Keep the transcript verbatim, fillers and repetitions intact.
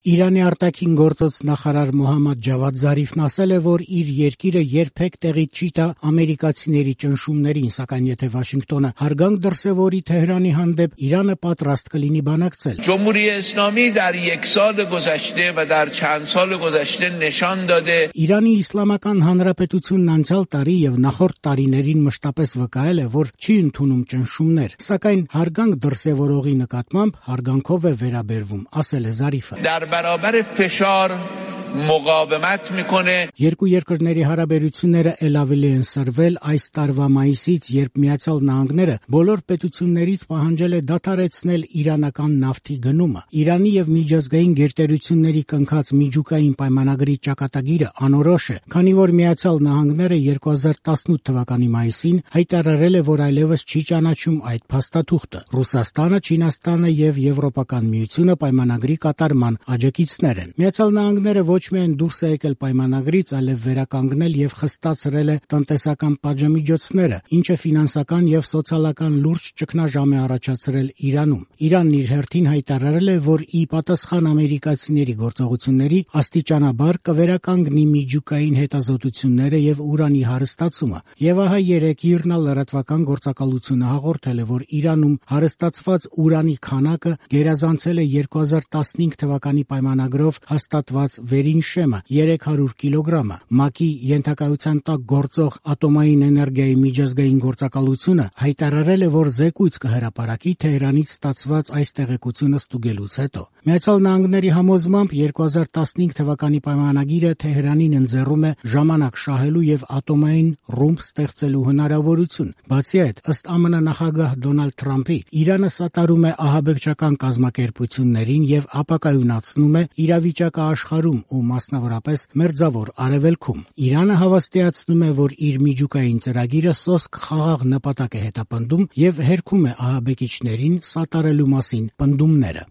Իրանի արտաքին գործոց նախարար Մոհամմադ Ջավադ Զարիֆն ասել է, որ իր երկիրը երբեք տեղի չի տա ամերիկացիների ճնշումներին, սակայն եթե Վաշինգտոնը հարգանք դրսևորի Թեհրանի հանդեպ, Իրանը պատրաստ կլինի բանակցել։ جمهوری اسلامی در یک سال گذشته و در چند سال گذشته نشان داده Իրանի Իսլամական Հանրապետությունն անցյալ տարի եւ նախորդ տարիներին մշտապես վկայել է, որ չի ընդունում ճնշումներ, սակայն հարգանք դրսևորողի նկատմամբ հարգանքով է վերաբերվում, ասել է Զարիֆը։ در برابر فشار مقاومت میکنه Երկու երկրների հարաբերությունները ել ավելի են սրվել այս տարվա մայիսից, երբ Միացյալ Նահանգները բոլոր պետություններից պահանջել է դադարեցնել իրանական նավթի գնումը։ Իրանի եւ միջազգային գերտերությունների կնքած միջուկային պայմանագրի ճակատագիրը անորոշ է, քանի որ Միացյալ Նահանգները երկու հազար տասնութ թվականի մայիսին հայտարարել է, որ այլևս չի ճանաչում այդ փաստաթուղթը։ Ռուսաստանը, Չինաստանը եւ Եվրոպական միությունը պայմանագրի կատարման աջակիցներ են։ Միացյալ Նահանգները ոչ միայն դուրս է եկել պայմանագրից, այլև վերականգնել եւ խստացրել է տնտեսական պատժամիջոցները, ինչը ֆինանսական եւ սոցիալական լուրջ ճգնաժամ է առաջացրել Իրանում։ Իրանն իր հերթին հայտարարել է, որ ի պատասխան ամերիկացիների գործողությունների աստիճանաբար կվերականգնի միջուկային հետազոտությունները եւ ուրանի հարստացումը։ Եվ ահա երեք ԻՌՆԱ լրատվական գործակալությունը հաղորդել է, որ Իրանում հարստացված ուրանի քանակը գերազանցել է երկու հազար տասնհինգ թվականի պայմանագրով հաստատված վերին շեմը երեք հարյուր կիլոգրամը։ ՄԱԿ-ի ենթակայության տակ գործող ատոմային էներգիայի միջազգային գործակալությունը հայտարարել է, որ զեկույց կհրապարակի Թեհրանից ստացված այս տեղեկությունը ստուգելուց հետո։ Միացյալ Նահանգների համոզմամբ երկու հազար տասնհինգ թվականի պայմանագիրը Թեհրանին ընձեռում է ժամանակ շահելու եւ ատոմային ռումբ ստեղծելու հնարավորություն։ Բացի այդ, ըստ ԱՄՆ նախագահ Դոնալդ Թրամփի, Իրանը սատարում է ահաբեկչական կազմակերպություններին եւ ապակայունացնում է իրավիճակը աշխարհում ու մասնավորապես Մերձավոր Արևելքում։ Իրանը հավաստիացնում է, որ իր միջուկային ծրագիրը սոսկ խաղաղ նպատակ է հետապնդում եւ հերքում է ահաբեկիչներին սատարելու մասին պնդումները։